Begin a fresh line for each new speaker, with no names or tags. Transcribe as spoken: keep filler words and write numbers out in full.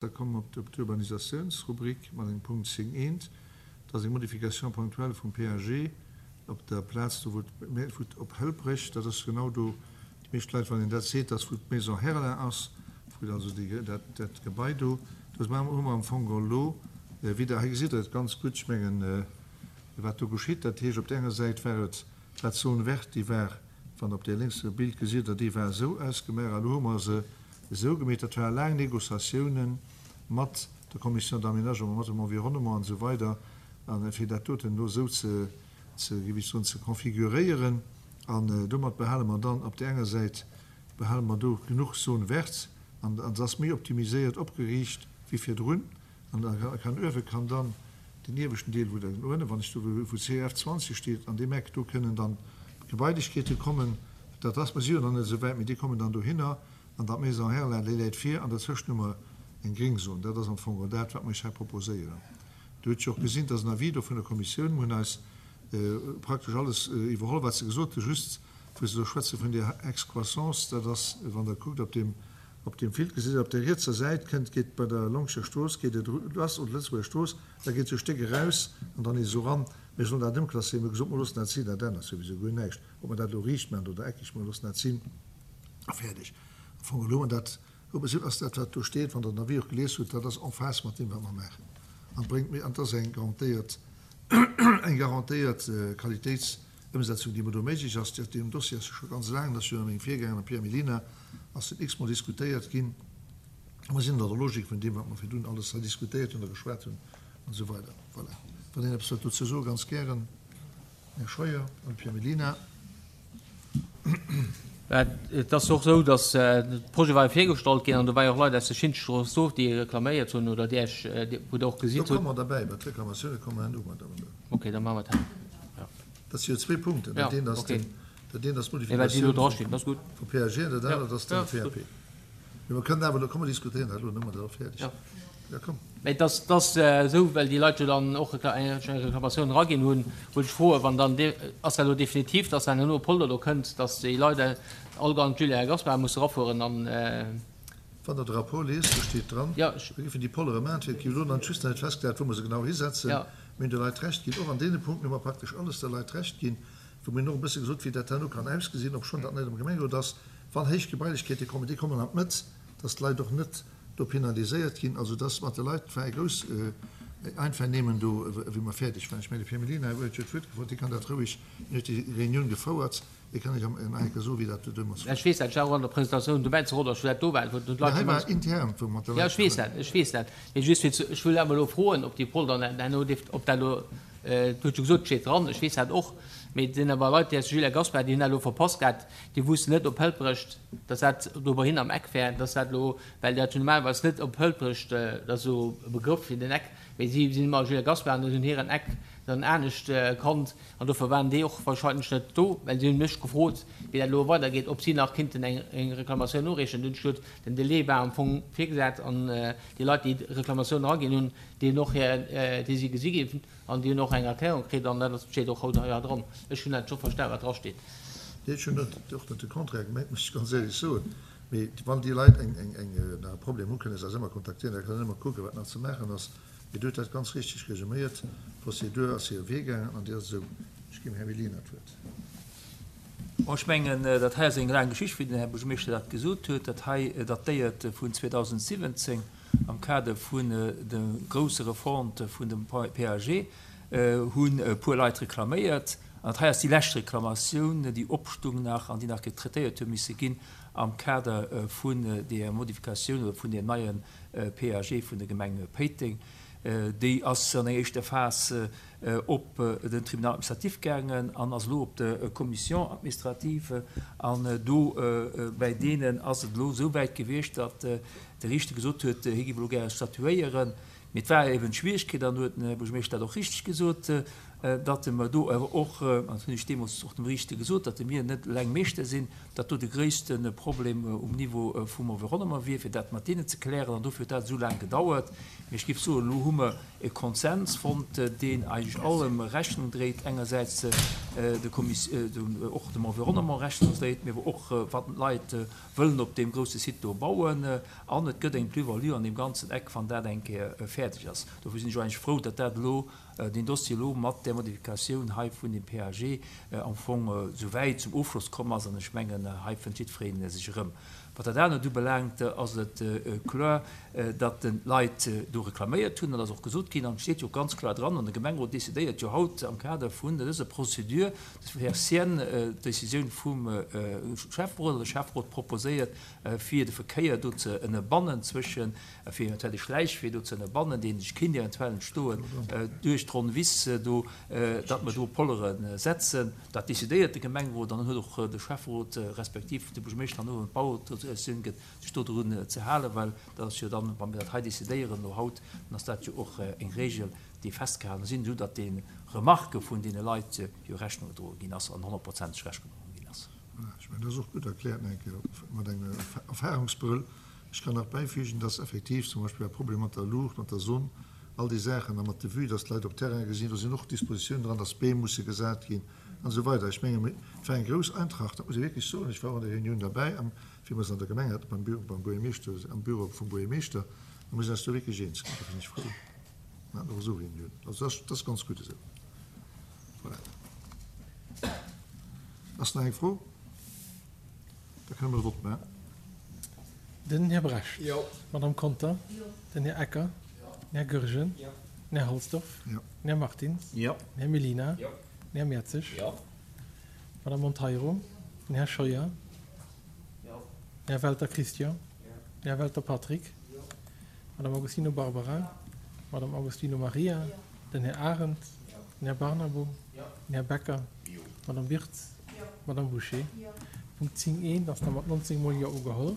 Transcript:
Da komme mer op d'Urbanisatiounsrubrik mat engem Punkt zéng eent. Dat ass eng Modification ponctuelle vum P A G op der Plaz do, wou d'Mä-, wou op Hëlprech, dat ass genau do, déi meescht Leit, wann een dat seet, dass wou d'Maison Herlin ass, wou also déi, dat, dat Gebai do, do hu mer am Fong elo wieder, hei gesitt Der et ganz gutt, ech mengen, wat do geschitt. Dat heescht, op der enger Säit war et dat Zone verte, déi war, wann op där lénkser Bild gesitt Der, déi war esou ausgemaach, a lo hu mer se esou gemeet. Dat ware laang Négociatiounen mat der Commission d'aménagement, mat dem Environnement an esou weider, a fir dat doten elo esou ze, ze, géif ech soen, ze konfiguréieren. An domat behale mer dann op där enger Säit, behale mer do genuch Zone verte, an, an se ass méi optimiséiert opgeriicht wéi virdrun. An da kann uewe kann dann den ieweschten Deel, wou den uewen, wann ech do, wou C F zwanzeg steet, an deem Eck, do kënnen dann Gebailechkeete kommen. Dat ass, mer si jo nach net esou wäit, mee déi kommen dann dohinner. An dat Maison Herlin, déi läit vir, an derzwëschen hu mer eng Gringzon. Dat ass am Fong dat, wat mer iech hei proposéieren. Dir hutt jo och gesinn, dass en Avis do vun der Kommissioun, mir hunn eis praktesch alles iwwerholl, wat se gesot hunn, just wou se do schwätze vun der Excroissance, dat ass, wann Der kuckt op deem, op deem Bild, gesitt Der, op der rietser Säit kënnt, geet bei der Longscher Strooss, geet et lass, oder Lëtzebuerger Strooss, da geet esou e Stéck eraus an dann nees esou eran. Mir sollen dat ëmklasséieren. Mir hu gesot, mer loossen dat sinn, dat ännert souwisou guer näischt, ob mer dat elo riicht maachen oder eckeg, mer loossen dat sinn a fäerdeg. Am Fong elo, an dat ass dat, wat do steet, wann Der den Avis och gelies hutt, dat ass en phase mat deem, wat mer maachen. An bréngt méi, an dat ass eng garantéiert, eng garantéiert Qualitéitsëmsetzung, déi mer do méiglech ass. Deen Dossier ass jo scho ganz laang, dat ass jo ënner mengem Virgänger, dem Pierre Mellina, ass den x-mol diskutéiert ginn. A mer sinn an der Logik vun deem, wat mer virdrun alles hei diskutéiert hunn a geschwat hunn an esou weider. Voilà. Wann een eppes wëllt dozou soen, ganz gären. Här Scheuer an Pierre Mellina.
Et ass och esou, datt de Projet war jo virgestallt ginn an do war jo och Leit aus der Schintstrooss do, déi reklaméiert hunn oder déi Iech, wou Der och
gesitt hutt. Do komme mer derbäi, bei d'Reklamatioune komme mer herno mat.
Okay, da maache mer dat. Jo.
Dat si jo zwee Punkten. Dat eent ass den, dat eent ass d'Modifikatioun vum P A G an dat anert ass den P A P. Mee mer kënnen awer elo, komm mer diskutéieren dat elo, dann hu mer dat och fäerdeg. Ja, komm.
Mee et ass, et ass esou, well déi Leit jo dann och eng Reklamatioun eraginn hunn, wollt ech froen, wann dann, ass dat elo definitiv, dass dann elo e Polder do kënnt, dass déi Leit all an d'Julia Gaspar musse erafueren an.
Wann Der de Rapport liest, do steet dran,
Ja.
mir géifen déi Pollere maachen. Et gi elo nach just nach net festgesat, wou mer se genau hisetzen.
Ja.
Mir hunn de Leit Recht ginn. Och an deene Punkten hu mer praktesch alles de Leit Recht ginn, wou mir hunn och e bësse gesot, wéi dat herno kann ausgesinn, obschonn dat net am Gemengerot ass, wann héich Gebailechkeete kommen, déi kommen an d'Mëtt, dass d'Leit och net do penaliséiert ginn, also dass mat de Leit war e grouss Einvernehmen do, wéi mer fäerdeg waren. Ech mengen, de Pierre Mellina huet jo d'Wuert gefrot, hie kann dat roueg, hien huet déi Reunioun gefouert, hie kann Iech am nach eng Kéier soen, wéi dat do deemools war.
Ech weess dat, ech war och an der Presentatioun dobäi zu Rodange, wou dat do war, wou d'Leit
Mä hei war intern, wou mat de
Jo,
Leit
ech weess dat, ech weess dat. Mee just fir ze, ech wëll awer elo froen, ob déi Polder herno dierft, ob dat elo, Du hues jo gesot, et steet dran, ech weess dat och, mee et sinn awer Leit, déi aus Jules Gaspar, déi hunn dat elo verpasst gehat, déi wussten net op Hëlprecht, dass dat do bei hinnen am Eck wär, dass dat elo, well dat jo normalerweis net op Hëlprecht, dat ass esou e Begrëff fir den Eck, mee si sinn ëmmer Jules Gaspar an hunn hiren Eck dann anescht kannt an dofir waren déi och wahrscheinlech net do, well si hunn mech gefrot, wéi dat elo weidergeet, ob si nach kinnten eng eng Reklamatioun noreechen. Dunn hunn ech gesot, den Delai war am Fong virgesat an déi Leit, déi Reklamatioun eraginn hunn, déi hunn och hir, déi si gesi ginn. An déi hunn och eng Erklärung kritt, an dat steet och haut hei dran. Ech hunn dat scho verstan, wat drasteet.
Nee, ech hunn net, och net de Contraire gemengt, muss ech ganz éierlech soen. Mee wann déi Leit eng, eng, eng, nach e Problem hunn, kënne se eis ëmmer kontaktieren, da kënne ëmmer kucken, wat nach ze maachen ass. Mee Dir hutt dat ganz richteg resuméiert, D'Prozedur ass hire Wee gaangen an déi ass esou. Ech ginn dem Här Mellina d'Wuert.
Bon, ech mengen, dat hei ass eng laang Geschicht, wéi den Här Buergermeeschter dat gesot huet. Dat hei datéiert vun zweedausendsiwwenzéng am Kader vun der grousser Refonte vun dem P A G hunn e puer Leit reklaméiert. An dat hei ass déi lescht Reklamatioun, déi opstung nach an déi nach getraitéiert hu misse ginn am Kader vun där Modifikatioun oder vun deem neie P A G vun der Gemeng Péiteng. Déi ass an enger éischter Phas op den Tribunal administratif gaangen an ass elo op der Commission administrative. An do bäi deenen ass et elo esou wäit gewiescht, datt de Riichter gesot huet, hie géif elo gäre statuéieren. Mee et war eben d'Schwierigkeet, an do huet den Här Buergermeeschter dat och richteg gesot, datt mer do awer och, an dat hunn ech deemools och dem Riichter gesot, datt mir net eleng Meeschter sinn, datt do de gréisste Problem um Niveau vum Environnement wier, fir dat mat deenen ze klären. An dofir huet dat esou laang gedauert. Mee ech géif soen, elo hu mer e Konsens fonnt, deen eigentlech natierlech allem Rechnung dréit, engersäits de och dem Environnement Rechnung dréit, mee awer och wat d'Leit wëllen op deem grousse Site do bauen. An et gëtt eng Plus-value an deem ganzen Eck, wann dat eng Kéier fäerdeg ass. Dofir sinn ech och eigentlech frou, datt dat elo, deen Dossier elo mat där Modifikatioun hei vun dem PAG am Fong esou wäit zum Ofschloss komm ass. An ech mengen, hei fënnt jiddweree sech erëm. Wat dat anert ubelaangt, ass et kloer, datt d'Leit do reklaméiert hunn. Dat ass och gesot ginn an et steet jo och ganz kloer dran, an de Gemengerot decidéiert jo haut am Kader vun dëser Procédure, datt Här Cien d'Décisioun vum Schäfferot, oder de Schäfferot proposéiert, fir de Verkéier do ze ënnerbannen zwëschen, fir eventuell de Schläichwee do ze ënnerbannen, deen sech kinnt eventuell entstoen duerch d'Ronn Wiss do, datt mer do Pollere setzen. Dat decidéiert de Gemengerot an dann huet och de Schäfferot respektiv de Buergermeeschter herno, wann d'Bauautorisatioun gëtt, sech dodrun ze halen, well dat ass jo dann, wa mir dat hei decidéieren elo haut, dann ass dat jo och eng Regel, déi festgehalen sinn, esou datt de Remarquë vun deene Leit jo Rechnung gedroe ginn ass an honnertprozenteg Rechnung gedroe ginn ass.
Voilà, ech mengen, dat ass och gutt erkläert, nach eng Kéier mat engem Erfahrungsbrëll. Ech kann nach bäifügen, dass effektiv zum Beispill e Problem mat der Luucht, mat der Sonn, all déi Saachen a mat de Vue, dass d'Leit op Terraine gesinn, do sinn och Dispositiounen dran, dass Beem musse gesat ginn an esou weider. Ech menge, et war eng grouss Eintracht, dat muss ee wierklech soen. Ech war och an der Reunioun derbäi, am, wéi mer se an der Gemeng haten, beim Büro, beim Buergermeeschter, am Büro vum Buergermeeschter, a mir sinn eis do wierklech eens ginn. Dofir sinn ech frou. Mir haten och esou Reuniounen. Also dat ass, dat ass ganz gutt esou. Voilà. Ass nach eng Fro? Da kënne mer de Vott maachen.
Den Här Brecht. Jo. D'Madame Conter. Jo. Den Här Ecker. Jo. Den Här Goergen. Jo. Den Här Halsdorf. Jo. Den Här Martins. Jo. Den Här Mellina. Jo. Den Här Mertzig. Jo. D'Madame Monteiro. Den Här Scheuer. Jo. Den Här Welter Christian. Jo. Den Här Welter Patrick. Jo. D'Madame Agostino Barbara. Jo. D'Madame Agostino Maria. Jo. Den Här Arendt. Jo. Den Här Barnabo. Jo. Den Här Becker. Jo. D'Madame Wirtz. Jo. D'Madame Bouché. Jo. Punkt zéng eent ass da mat nonzéng mol Jo ugeholl.